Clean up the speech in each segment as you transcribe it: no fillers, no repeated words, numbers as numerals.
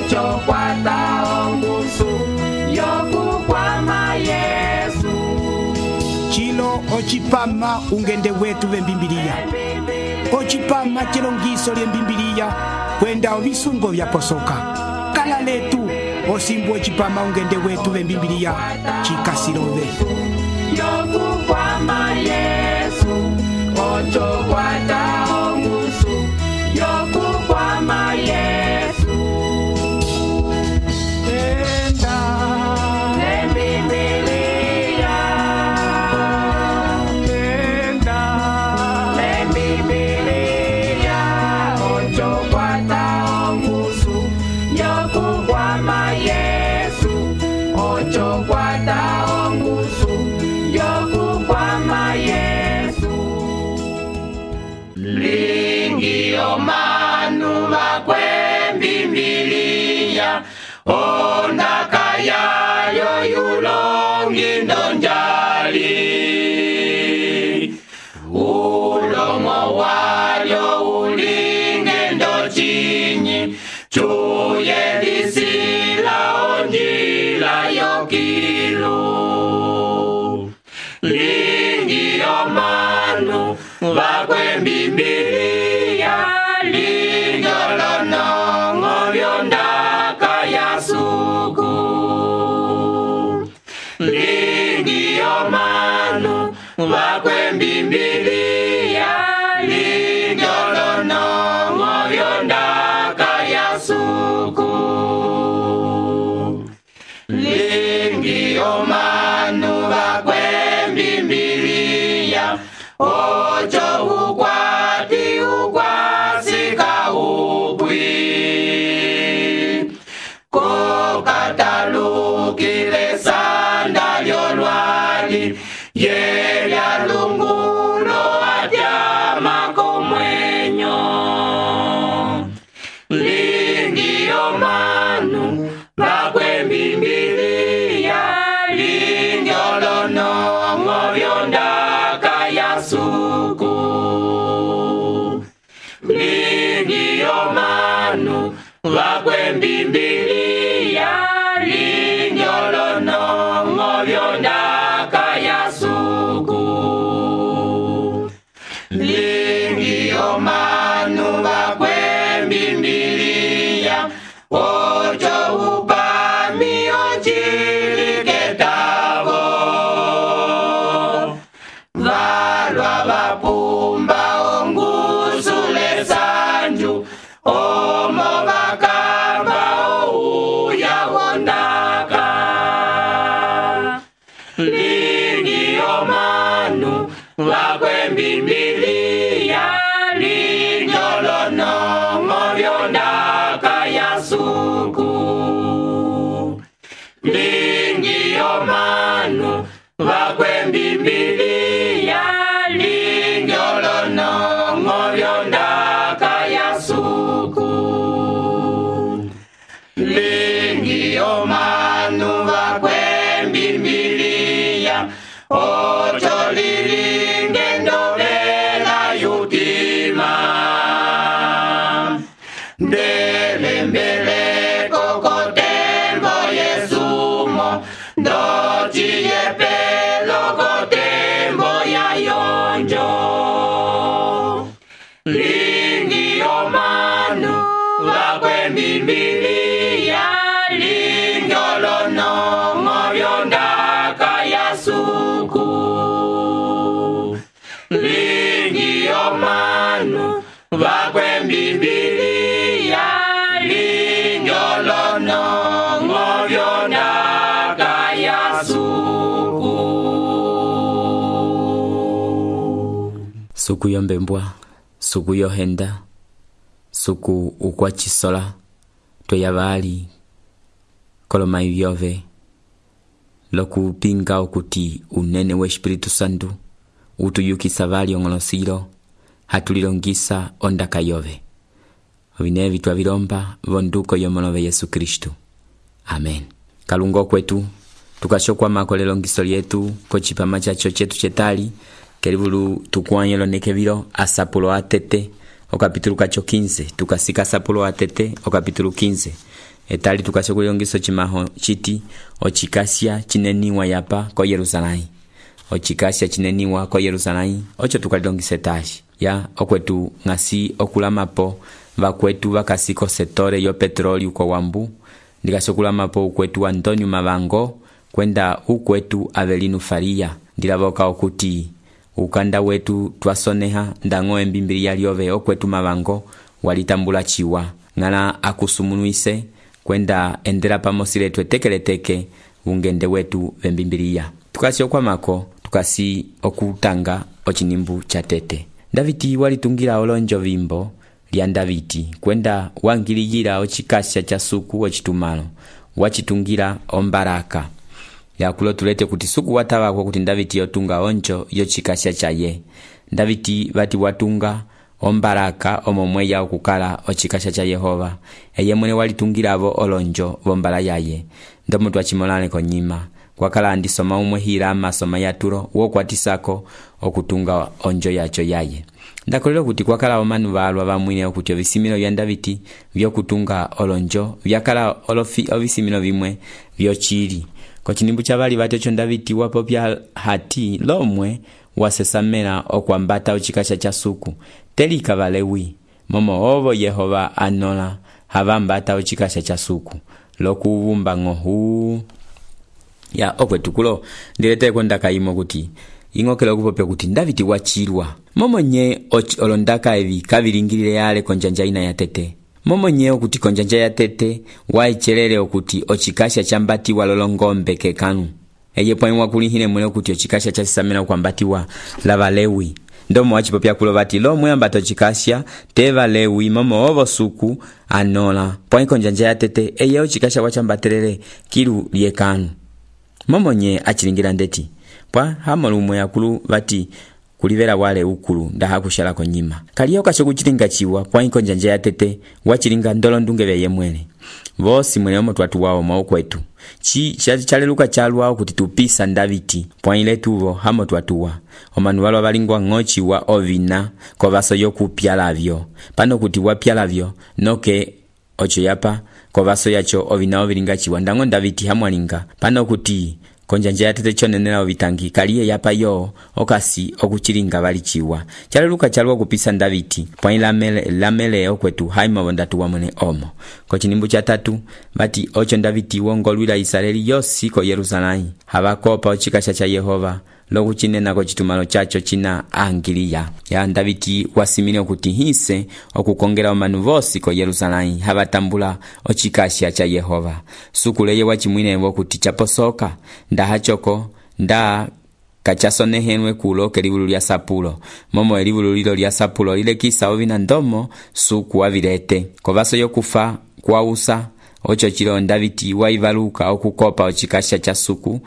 ocho kwata ongusu yokukwama Yesu. Chilo ochipama ungende wetu vembimbiliya. Ochipama chilongiso lyembimbiliya kwenda ovisungo vyaposoka. Kala letu osimbu ochipama ungende wetu vembimbiliya chikasilove. Yokukwama Yesu, ocho kwata ongusu yokukwama Yesu. Enda lembimbiliya, enda lembimbiliya, ocho kwata ongusu yokukwama Yesu, ocho kwata ongusu yokukwama Yesu. Lingi omanu bakwembimbiliya, ondaka yayo yulongi ndonjali. Ulomo wayo ulinge ndochinyi, chuye lisila onjila yokilu. Lingi omanu bakwembimbiliya, lingolonongo byondaka yasuku. Lingi omanu bakwembimbiliya, lingolonongo byondaka yasuku. Lingi omanu bakwembimbiliya, ocho ukwati ukwasika ubwi. Kokatalukile sanda lyolwali, yelya lungulo atyama komwenyo. Lingi omanu bakwembimbiliya, lingolonongo byondaka yasuku. Lingi omanu bakwembimbiliya, lingolonongo byondaka yasuku. Lingi omanu bakwembimbiliya, ocho upami onchiliketavo. Valwa vapumba ongusule sanju, omo bakamba ouya wondaka. Lingi omanu bakwembimbiliya, lingolonongo byondaka yasuku. Lingi omanu bakwembimbiliya, lingolonongo byondaka yasuku. Lingi omanu bakwembimbiliya, ocho lilinge ndovela yutima. Ndelembeleko kotembo Yesumo, ndochiyepelo kotembo yayonjo. Lingi omanu bakwembimbiliya, lingolonongo byondaka yasuku. Lingi omanu bakwembimbiliya, lingolonongo byondaka yasuku. Suku yombembwa, suku yohenda, suku ukwachisola, toyavali koloma ivyove, lokupinga okuti unene wa Espiritu Santu utuyukisa vali ongolosilo, hatulilongisa ondaka yove. Ovinevi twavilomba vonduko yomolove Yesu Kristu. Amen. Kalungo kwetu, tukashokwa makole longiso lyetu kochipama chacho chetu chetali, kelivulu tukuanyelo nekevilo asapulo atete, o capítulo 15, tukasika asapulo atete, o capítulo 15. etali tukasya kulilongiso chimaho chiti ochikasya chineniwa yapa ko Yerusalai. Ochikasya chineniwa ko Yerusalai ocho tukalilongisa tashi ya okwetu ngasi okulamapo vakwetu vakasiko setore yo petroli uko wambu ndikasya okulamapo ukwetu Antonio Mavango kwenda ukwetu Avelino Faria ndilavoka okuti ukanda wetu twasoneha ndango embimbilia lyove okwetu Mavango walitambula chiwa ngala akusumunuise kwenda endela pamosi letu etekeleteke ungende wetu vembimbilia. Tukasi okwamako tukasi okutanga ochinimbu cha tete. Daviti walitungira olonjo vimbo lya Daviti kwenda wangiliyira ochikasya cha suku ochitumalo wachitungira ombaraka yakulo tulete kuti suku watawa kwa kuti Daviti yotunga onjo yochikasya chaye. Daviti vati watunga ombaraka omomwe ya okukala ochikasya cha Yehova eye mwene walitungira avo olonjo vombala yaye ndomo twachimolane konyima kwakala andisoma umwe hira masoma yaturo wokwatisako okutunga onjo yacho yaye. Ndakolero kuti kwakala omanu valwa vamwine okuti ovisimilo vya Daviti vyokutunga olonjo vyakala ovisimilo vimwe vyochili kochinimbu cha vali vatecho Daviti wapopya hati lomwe wasesamela okwambata ochikasya cha suku telika Valewi momo ovo Yehova anola havambata ochikasya cha suku lokuvumba ngohu ya okwetukulo ndilete kwenda kaimo kuti ingokela kupopya kuti Daviti wachirwa momonye olondaka evi kavilingilile yale konjanja ina ya tete momonye okuti konjanja ya tete waichelele okuti ochikasya chambatiwa lolongombe kekanu eye poimwa kulihine mwele okuti ochikasya chasisamela kwambatiwa la Valewi ndomo wachipopya kulo vati lomwe ambato ochikasya te Valewi momo ovo suku anola poin konjanja ya tete eye ochikasya wachambatelele kilu liekanu momonye achilingira ndeti pwa hamolumwe yakulu vati kulivera wale ukulu ndaha kushala konyima kaliyo kasho kuchilinga chiwa pwa inkonjanja ya tete wachilinga ndolo ndungeve ye mwene vosi mwene omo twatu wao maokwetu chaleluka chalwa kuti tupisa Daviti pwa iletuvo hamo twatuwa omanu walwa valingwa ngochi wa ovina kovaso yokupyalavyo pano kuti wapyalavyo noke ocho yapa kovaso yacho ovina ovilinga chiwa ndango Daviti hamwalinga pano kuti konjanja ya tete chonenela ovitangi kaliye yapa yo okasi okuchilinga valichiwa chaleluka chalwa kupisa Daviti pwa lamele okwetu haima wondatu wa mwene omo kochinimbu cha tatu vati ocho Daviti wongolwila Israeli yosi ko Yerusalai havakopa ochikasya cha Yehova lokuchinena kochitumalo chacho china angiliya ya Daviti wasimile okuti hise okukongela omanu vosi ko Yerusalai havatambula ochikasya cha Yehova sukuleye wachimwine wokuti chaposoka ndahachoko nda kachasonehenwe kulo kelivulu lya sapulo momo elivulu lilo lya sapulo lile kisa ovina ndomo suku wavilete kovaso yokufa kwausa ocho chilo Daviti waivaluka okukopa ochikasya cha suku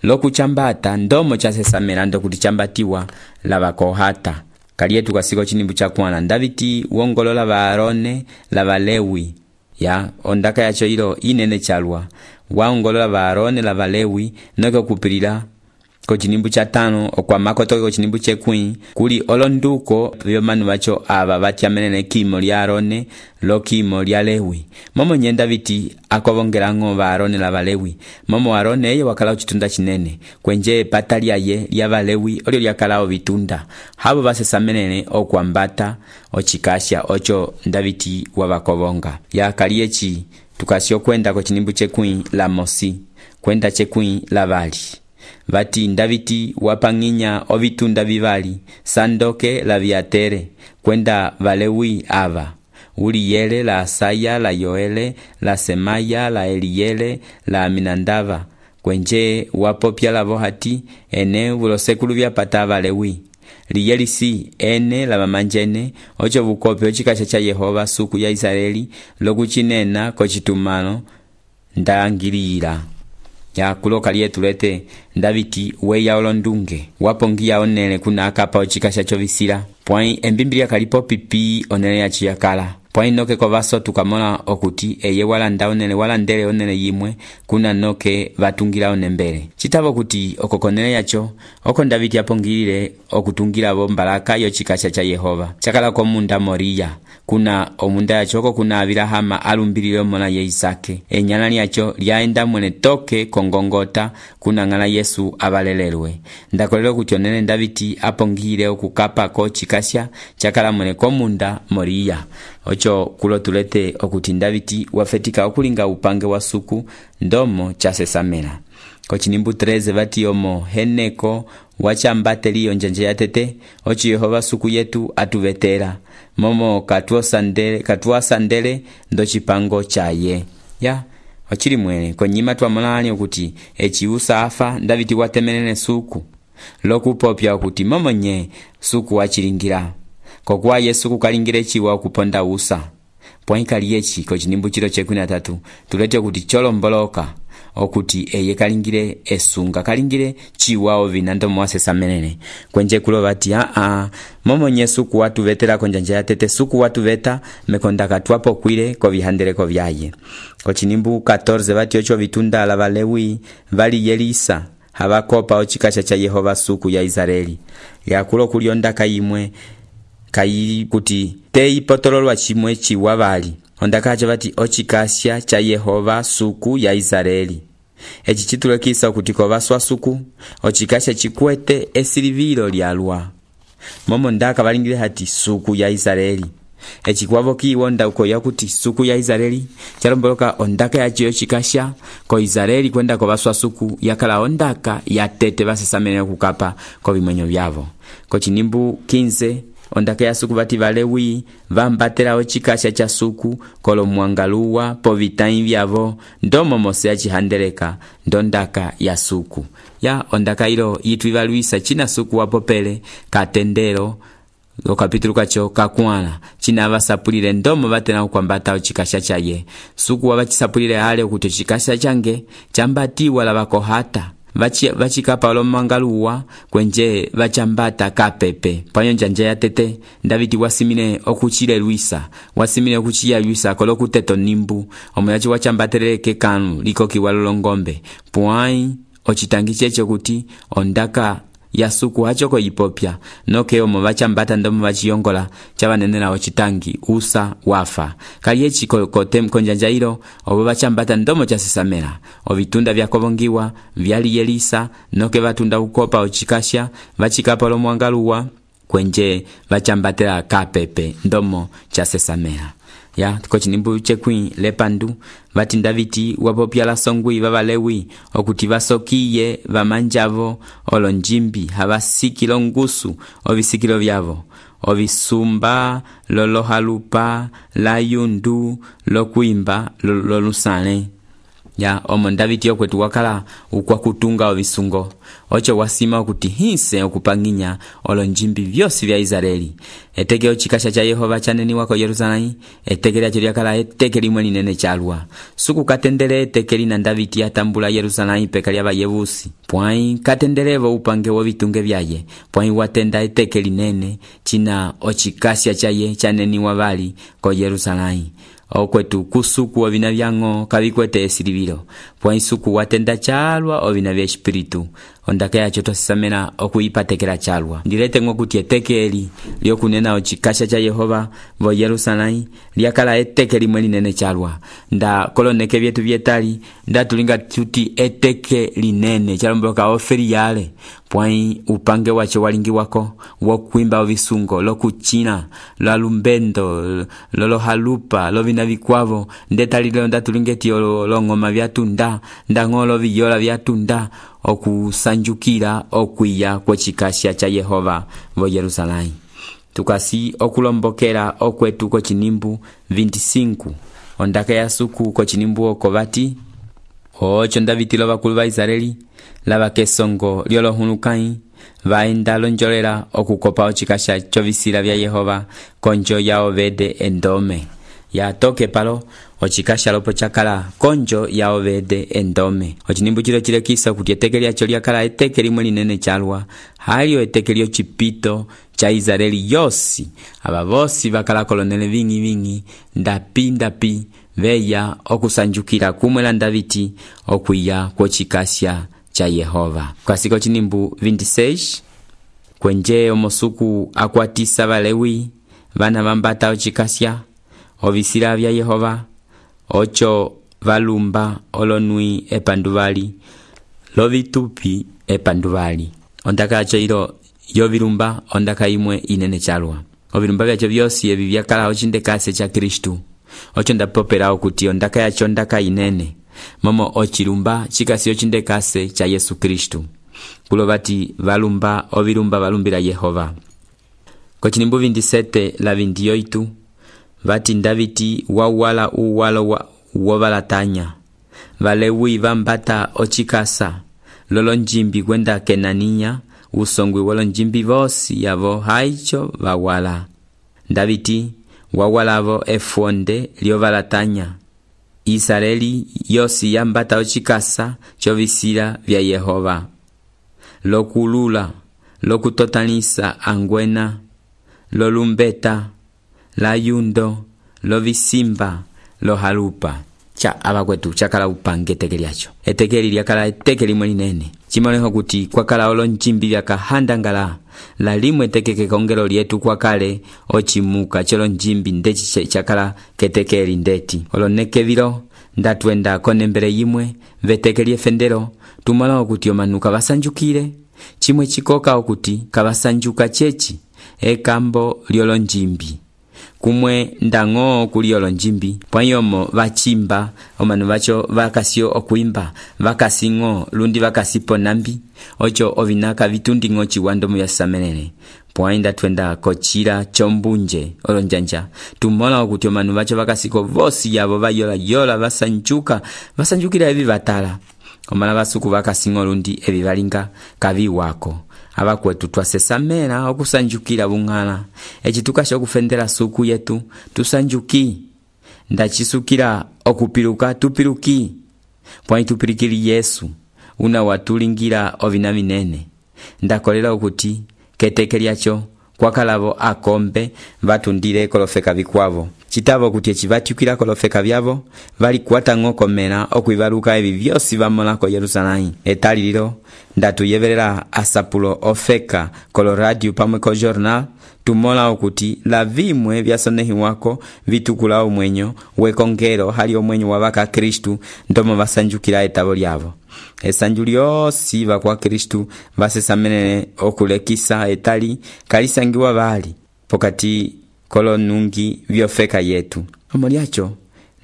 lokuchambata ndomo chasesamela ndo kuti chambatiwa lava kohata kalietu kasiko chinimbu cha kwana Daviti wongolola va Arone la Valewi ya ondaka yacho ilo inene chalwa waongolola va Arone la Valewi noke kupilila kochinimbu cha tano okwa makotoke kochinimbu chekwi kuli olonduko vyomanu vacho ava vatyamenene kimo lya Arone lo kimo lya Lewi momo nye Daviti akovongelango va Arone la Valewi momo Arone eye wakala ochitunda chinene kwenje pata lyaye lya Valewi olio lyakala ovitunda habo vasesamenene okwambata ochikasya ocho Daviti wavakovonga ya kaliechi tukasyo kwenda kochinimbu chekwi la Mosi kwenda chekwi la Vali vati Daviti wapanginya ovitunda vivali sandoke la viatere kwenda Valewi ava Uliyele la Asaya la Yoele la Semaya la Eliele la Aminandava kwenje wapopya lavo hati ene vulosekulu vyapata Valewi liyelisi ene la mamanjene ocho vukope ochikasya cha Yehova suku ya Israeli lokuchinena kochitumano ndangilira ya kuloka lietulete Daviti weya olondunge wapongia onele kuna akapa ochikasya chovisila pwai embimbilia kalipo pipi onele ya chiyakala pwai noke kovaso tukamona okuti eye walandele onene yimwe kuna noke vatungila onembele. Citava kuti okokonele yacho oko Davidi apongilile okutungila vo mbalaka yochikasha cha Yehova chakala komunda Moriya. Kuna omunda yacho oko kuna Abilahama alumbilile omona ye Isake. Enyana lyacho lyaenda mwene toke kongongota kuna ngala Yesu abalelelwe. Ndakolelo kuti onene Davidi apongilile okukapa ko chikasha chakala mwene komunda Moriya. Ocho kulo tulete okuti Davidi wafetika okulinga upange wa suku ndomo chasesamela. Kochinimbu 13 vati omo heneko wachambateli onjanje yatete ochi Yehova suku yetu atuvetera momo katuasandele ndo chipango chaye. Ya ochili mwene konyima twamolani okuti echiusa afa Davidi watemenene suku lokupopya okuti momo nye suku wachilingira kokuwa Yesu kukalingire chiwa okuponda usa. Pwaikali yechi kochinimbu chilo che13 tulete okuti cholomboloka okuti eye kalingire esunga kalingire chiwa ovina ndomo wasesamenene kwenje kulo vati momo nye suku watu vetera konjanja yatete suku watu veta mekonda katwapo kwile ko vihandeleko vyaye. Kochinimbu 14 vati ocho vitunda la Valewi vali Yelisa havakopa ochikasha cha Yehova suku ya Israeli yakulo kulionda kayimwe kayi kuti tei potololwa chimwe chiwa vali ondakacha vati ochikasha cha Yehova suku ya Israeli. Echi chitulekisa kuti kovaswa suku ochikasha chikwete esilivilo lyalwa momo ndaka valingile hati suku ya Israeli. Echi kwavo kiwonda uko yakuti suku ya Israeli chalomboloka ondaka yachi yochikasha ko Israeli kwenda kovaswa suku yakala ondaka yatete vasesamene kukapa ko vimwenyo vyavo. Kochinimbu 15 ondaka ya suku vati Valewi vambatela ochikasha cha suku kolo mwangaluwa po vitai vyavo ndomo mose achihandeleka ndondaka ya suku. Ya ondaka ilo yitu ivaluisa china suku wapopele katendelo okapitulu kacho kakwala china vasapulile ndomo vatena ukwambata ochikasha chaye. Suku wavachisapulile hale okuti ochikasha change chambatiwa la vakohata vachikapa olomangaluwa kwenje vachambata kapepe panyo njanje yatete Davidi wasimile okuchile luisa wasimile okuchiya luisa kolo kuteto nimbu omuyachi wachambateleke kanu liko kiwalolongombe pwai ochitangi checho kuti ondaka ya suku hachoko yipopya noke omo vachambata ndomo vachiyongola chavanenela ochitangi usa wafa kaliechi kotem konjanja ilo obo vachambata ndomo chasesamela ovitunda vyakovongiwa vyali Yelisa noke vatunda ukopa ochikasha vachikapa lo mwangaluwa kwenje vachambatela kapepe ndomo chasesamela. Ya kochinimbu chekwi lepandu vati Davidi wapopya la songwi vavalewi okuti vasokiye vamanjavo olonjimbi havasikilo ngusu ovisikilo vyavo ovisumba lolohalupa la yundu lokuimba lolusale. Ya omo Davidi okwetu wakala ukwa kutunga ovisungo ocho wasima okuti hinse okupanginya olonjimbi vyosi vya Israeli. Eteke ochikasha cha Yehova chaneni wako Yerusalemu eteke lyacho lyakala eteke limwe linene chalwa suku katendele eteke lina Davidi atambula Yerusalemu peka lya Vayebusi pwai katendelevo upange wo vitunge vyaye pwai watenda eteke linene china ochikasha chaye chaneni wavali ko Yerusalemu. Okwetu kusuku ovina vyango kavikwete esilivilo pwai suku watenda chalwa ovina vya espiritu ondaka yacho tosisamena okuipatekela chalwa. Ndilete ngokuti eteke eli lyokunena ochikasha cha Yehova vo Yerusalemu lyakala eteke limwe linene chalwa nda koloneke vyetu vyetali nda tulinga tuti eteke linene chalomboloka oferi yale pwai upange wacho walingi wako wokuimba ovisungo lokuchina lalumbendo lolohalupa lovina vikwavo ndetalilo nda tulingeti olongoma vyatunda ndangolo viyola vyatunda okusanjukira okwiya kwechikasha cha Yehova vo Yerusalemu. Tukasi okulombokera okwetu kochinimbu 25 ondaka ya suku kochinimbu okovati ocho Davidi lo bakulu ba Israeli lava kesongo lyolohulukai vaenda lonjolela okukopa ochikasha chovisila vya Yehova konjo ya Obede endome. yatoke palo ocikasha lopo chakala konjo ya Obede endome. Ochinimbu chilo chilekisa kuti eteke lyacho lyakala eteke limwe linene chalwa, halio eteke lyo chipito cha Israeli yosi. Aba bosi bakala kolonele vingi ndapi veya okusanjukira kumwela Davidi okwiya kwocikasha cha Yehova. Kwa siko chinimbu 26 kwenje omosuku akwatisa Balewi bana bambata ocikasha ovisira vya Yehova ocho valumba olonui epanduvali lovitupi epanduvali. Ondaka acho ilo yovilumba ondaka imwe inene chalwa. Ovilumba vyacho vyosi evi vyakala ochindekase cha Kristu. Ocho ndapopera okuti ondaka yacho ondaka inene. Momo ochilumba chikasi ochindekase cha Yesu Kristu. Kulo bati valumba ovilumba valumbira Yehova. Kochinimbu 27 la 28 vati Davidi wawala uwalo wovalatanya. Valewi vambata ochikasa lolo njimbi kwenda Kenania usongwi wolo njimbi vosi yavo haicho vawala. Davidi wawalavo efonde liovalatanya. Israeli yosi yambata ochikasa chovisira vya Yehova. Lokulula, lokutotanisa angwena, lolumbeta, layundo, lovisimba, lohalupa. Cha abakwetu chakala upange eteke lyacho. Eteke lyakala eteke limwe linene. Chimoleho kuti kwakala olo njimbi lyakahandangala. La limwe eteke kekongelo lyetu kwakale ochimuka cholo njimbi ndechi chakala keteke lindeti. Olo nekevilo ndatwenda konembere yimwe veteke lyefendero tumala okuti omanuka basanjukire. Chimwe chikoka okuti kabasanjuka chechi ekambo lyolo njimbi. Kumwe ndango kuliolo njimbi pwanyomo bachimba omanu bacho bakasio okuimba bakasingo lundi bakasipo nambi ocho ovinaka vitundingo chiwando mu yasamenene pwainda twenda kochira chombunje olonjanja tumola okuti omanu bacho bakasiko vosi yabo bayola basanjukira evi batala omala basuku bakasingo lundi evi balinga kavi wako. Abakwetu twasesamera okusanjukira bungala echitukasha okufendera suku yetu tusanjuki ndachisukira okupiruka tupiruki pwa tupirikiri Yesu una watulingira ovina vinene ndakolela okuti keteke lyacho kwakalavo akombe batundire kolofeka bikwavo chitavo kuti echivatukira kolofeka byavo bali kwata ngokomera okwibaruka ebi byosi bamola ko Yerusalemu etaliliro ndatuyeverera asapulo ofeka kolo radio pamwe ko journal tumola okuti la vimwe byasonehi wako vitukula omwenyo wekongero hali omwenyo wabaka Kristu ndomo basanjukira etabo lyavo. Esanjulio siva kwa Kristu basesamenene okulekisa etali kalisangiwa bali pokati kolo nungi vyofeka yetu. Omoliacho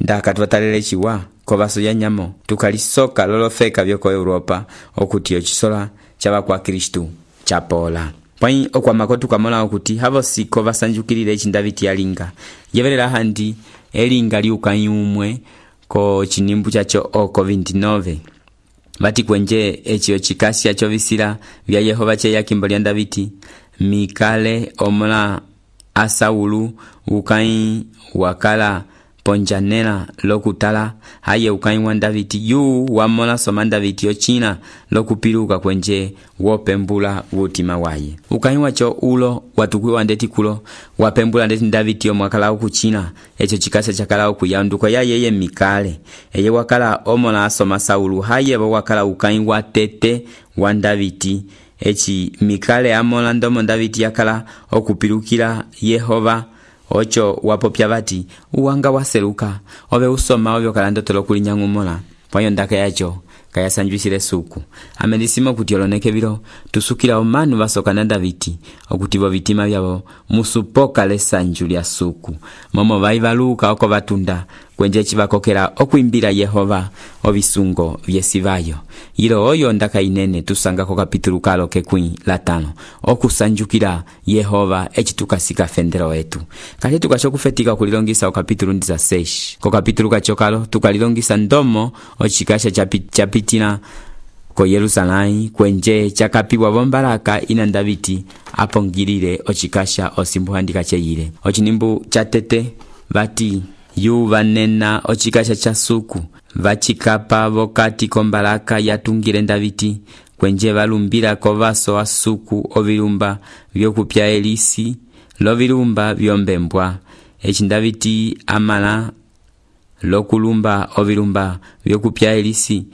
ndakatwatalele chiwa kobaso ya nyamo tukalisoka lolofeka vyoko Europa okuti ochisola chaba kwa Kristu chapola. Pwai okwa makotu kamola okuti havo siko basanjukirire chindaviti yalinga yeverera handi elinga liukanyumwe ko chinimbu chacho oko 29 bati kwenje echio chikasya chovisira vya Yehova che yakimbo lya Davidi Mikale omola Asaulu ukai wakala ponjanela lokutala haye ukai wa Davidi yu wamola soma Davidi ochina lokupiruka kwenje wopembula wutima waye ukai wacho ulo watukwe wandeti kulo wapembula ndeti Davidi omwakala ukuchina echo chikasa chakala okuyanduko ya yeye Mikale eye wakala omola soma Saulu haye wakala ukai wa tete wa Davidi echi Mikale amola ndomo Davidi yakala okupirukira Yehova ocho wapopya bati uwanga waseruka obe usoma obyo kalandotolo kulinyangu mola pwayo ndaka yacho kaya sanjwisire suku amedisima kuti oloneke biro tusukira omanu basoka na Davidi okuti bo bitima byabo musupoka lesanju lya suku momo baibaluka oko batunda kwenje chibakokera okwimbira Yehova obisungo byesibayo ilo oyo ndaka inene tusanga ko kapitulu kalo kekwi la 5 okusanjukira Yehova echitukasika fendero wetu kale tukasho kufetika kulilongisa o kapitulu 16 ko kapitulu kachokalo tukalilongisa ndomo ochikasha chapitina ko Yerusalemu kwenje chakapiwa bombaraka ina Davidi apongirire ochikasha osimbuhandika cheyire ochinimbu chatete bati yu vanena ocikasha cha suku vacikapa vokati kombalaka yatungile Ndaviti kwenje valumbila kovaso a suku ovilumba vyokupya elisi lovilumba vyombembwa. Eci Ndaviti amala lokulumba ovilumba vyokupya elisi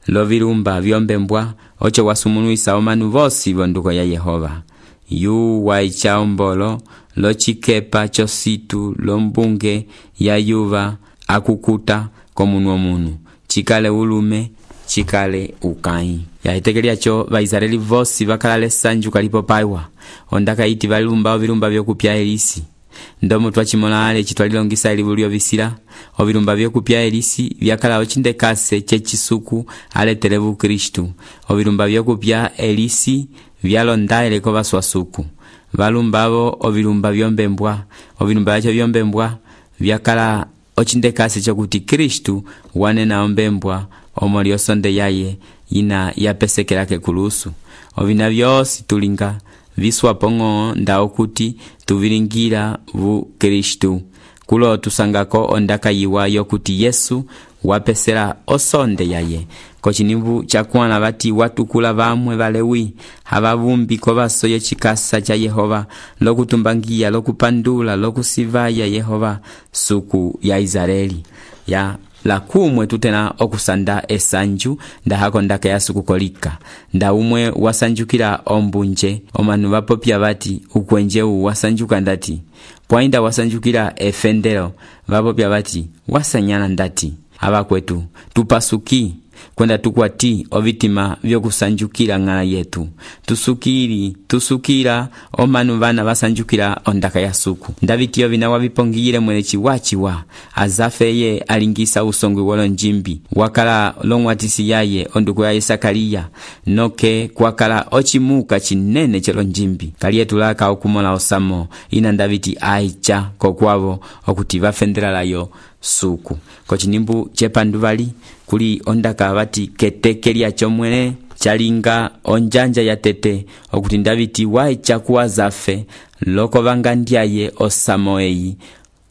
lovilumba vyombembwa ocho wasumunuisa omanu vosi vonduko ya Yehova. Yu waicha ombolo locikepa chositu lombunge ya yuva akukuta komunwa munu chikale ulume chikale ukai. Yaitekelyacho Vaisraeli vosi vakalale sanju kalipo paiwa ondaka iti valumba ovilumba vyokupya elisi. Ndomo twachimola ale chitwalilongisa elivulio visila ovilumba vyokupya elisi vyakala ochindekase chechisuku aletelevu Kristu. Ovilumba vyokupya elisi vyalondaele kovaswa suku valumbavo ovilumba vyombembwa. Ovilumba vyacho vyombembwa vyakala ochindekase chokuti Kristu wanena ombembwa omoli osonde yaye ina yapesekelake kulusu. Ovina vyosi tulinga viswapo ng'o ndao kuti tuvilingila vu Kristu. Kulo tusangako ondaka yiwa yokuti Yesu wapesela osonde yaye. Kochinimbu chakuana vati watukula vamwe valewi havavumbi kovaso yechikasa cha Yehova lokutumbangia lokupandula lokusivaya Yehova suku ya Israeli. Ya lakumwe tutena okusanda esanju ndahako ndaka ya suku kolika. Nda umwe wasanjukila ombunje omanu vapopya vati ukwenje wasanjuka ndati. Pwainda wasanjukila efendelo vapopya vati wasanyana ndati. Ava kwetu tupasuki kwenda tukwati ovitima vyokusanjukila ng'ala yetu. Tusukila omanu vana vasanjukila ondaka ya suku. Ndavitiyo vina wavipongile mwele chiwachiwa azafe ye alingisa usongwi wolo njimbi wakala longwatisi yaye onduku ya Sakariya noke kwakala ochimuka chinene chelo njimbi kaliye tulaka okumola osamo ina Ndaviti aicha kokwavo okuti vafendela layo suku. Kochinimbu chepanduvali kuli ondaka vati ketekelya chomwele chalinga onjanja ya tete okuti Ndaviti waicha kuwa zafe loko vangandyaye osamo eyi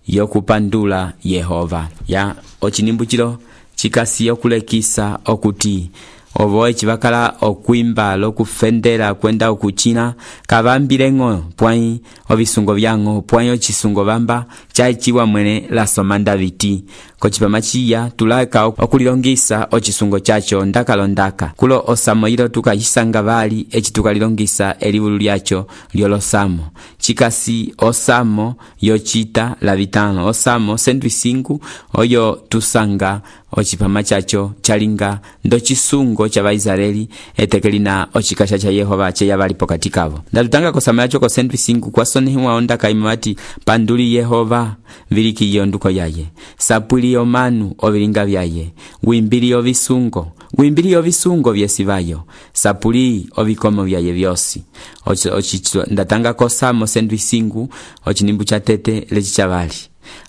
yokupandula Yehova. Ya ochinimbu chilo chikasi okulekisa okuti ovoe chivakala okuimba lokufendela kwenda okuchina kavambile ng'o pwai ovisungo vyang'o pwai ochisungo vamba chaichiwa mwene lasoma Ndaviti. Kochipamachiya tulaka okulilongisa ochisungo chacho ndakalondaka kulo osamo ilo tukayisanga vali echi tukalilongisa elivulu lyacho lyolosamo chikasi osamo yochita lavitano osamo sendwisingu oyo tusanga ochipama chacho chalinga ndo chisungo cha Vaisraeli etekelina ochikasha cha Yehova cheya valipo katikavo. Ndatutanga kosama yacho ko sendwisingu kwa sonehiwa ondaka imawati panduli Yehova viliki yonduko yaye sapuli omanu ovilinga vyaye wimbili ovisungo vyesivayo sapuli ovikomo vyaye vyosi. Ndatanga kosamo sendwisingu ochinimbu cha tete lechi chavali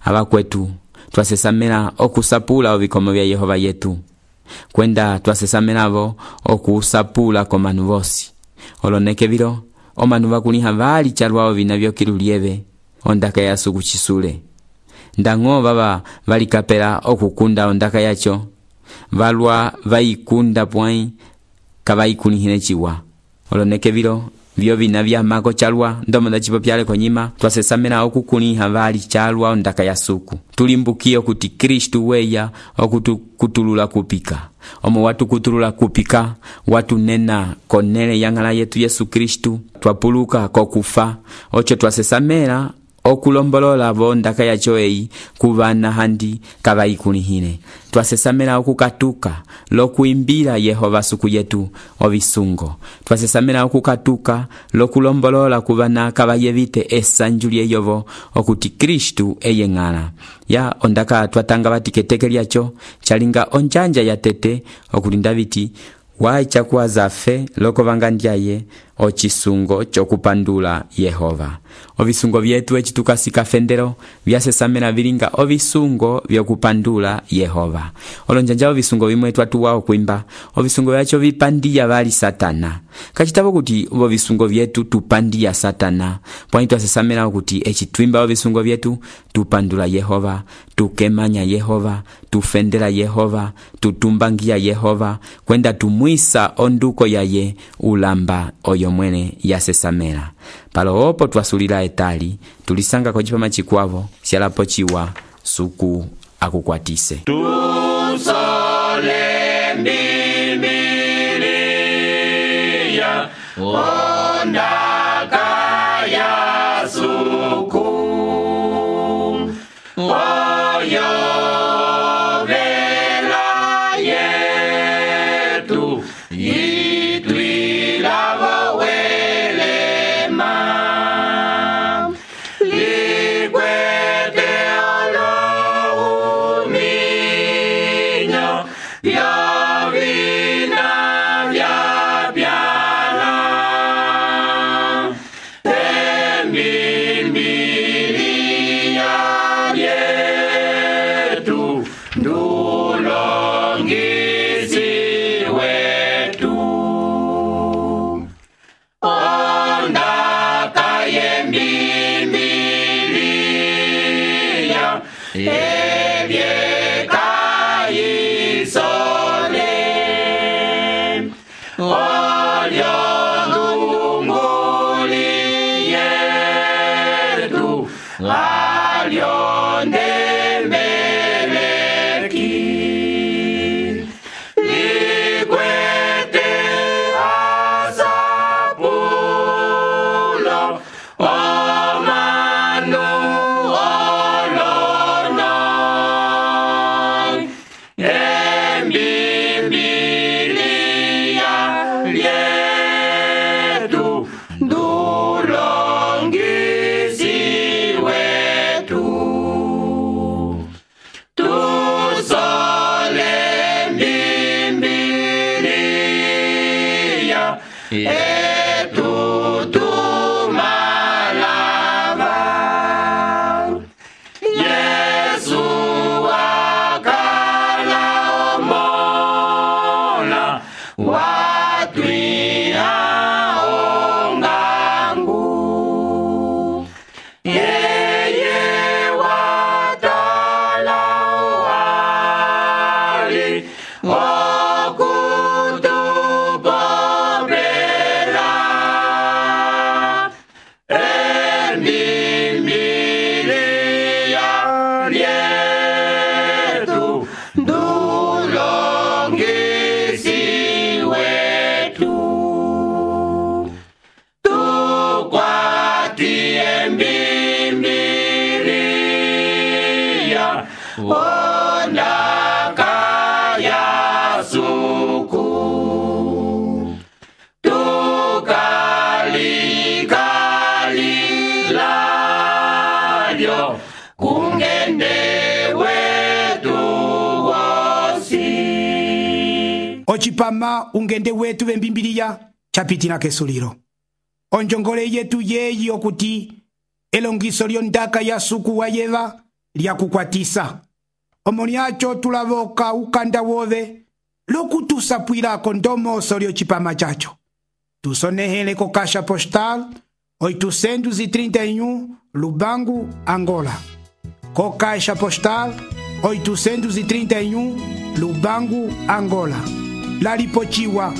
ava kwetu twasesamela okusapula ovikomo vya Yehova yetu kwenda twasesamelavo okusapula komanu vosi oloneke vilo omanu vakuliha vali chalwao vina vyokilulieve ondaka ya suku chisule. Ndang'o vava valikapela okukunda ondaka yacho valwa vaikunda pwai kavaikunihine chiwa oloneke vilo vyo vina vya mako chalwa ndomo ndachipopyale konyima twasesamela okukuniha vali chalwa ondaka ya suku. Tulimbukie kuti Kristu weya okutulula kupika omo watu kutulula kupika watu nena konele yang'ala yetu Yesu Kristu twapuluka kokufa ocho twasesamela okulombolola vondaka yacho eyi kuvana handi kavaikunihine. Twasesamela okukatuka lokuimbila Yehova suku yetu ovisungo. Twasesamela okukatuka lokulombolola kuvana kavayevite esanju lyeyovo okuti Kristu eye ng'ala. Ya ondaka twatanga vati ketekelyacho chalinga onjanja ya tete okuti Ndaviti waicha kuwa zafe loko vangandyaye ocisungo c'okupandula Yehova. Ovisungo vyetu eci tukasika fendelo vyasesamena vilinga ovisungo vyokupandula Yehova. Olonjanja ovisungo vimwe twatuwa okwimba ovisungo vyacho vipandiya vali Satana. Kacitavo kuti ovisungo vyetu tupandiya Satana. Pwani twasesamena kuti eci twimba ovisungo vyetu tupandula Yehova, tukemanya Yehova, tufendela Yehova, tutumbangia Yehova, kwenda tumwisa onduko yaye ulamba oyo mwene yasesamela. Palo opo twasulila etali tulisanga kwa chipama chikwavo sialapo chiwa suku akukwatise. Tusole Bibilia ondaka ya suku oyo vela yetu itwilavo welema likwete olohuminyo vyovina vyapyana Bibilia yetu ndulongisi wetu ondaka ye Bibilia evyekayisole olyo ndunguli yetu alyo ndemeleki likwete asapulo omanu olono Bibilia yetu ndulongisi wetu tusole Bibilia yetu tumalava Yesu akala omola watwiha ongangu yeye watala wali okutupopela Bibilia yetu ndulongisi wetu tukwatie Bibilia ondaka ya suku tukalikalilyo kungende wetu wosi ocipama ungende wetu vembimbiliya capitila kesulilo. Onjongole yetu yeyi okuti elongiso lyondaka ya suku wa Yeva lyakukwatisa. Omo lyacho tulavoka ukanda wove lokutusapwilako ndomoso lyocipama chacho. Tusonehele ko Caixa Postal 831 Lubangu, Angola. Ko Caixa Postal 831 Lubangu, Angola. Lalipochiwa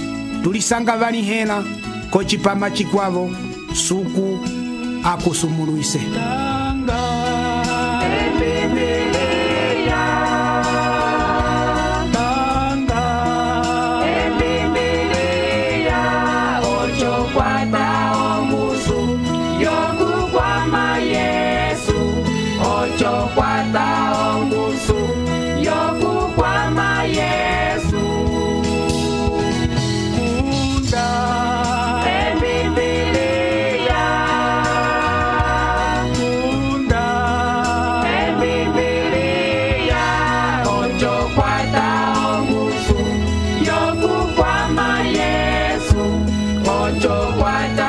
tulisanga vanihela ko cipama chikwavo suku akusumuluise. chokwata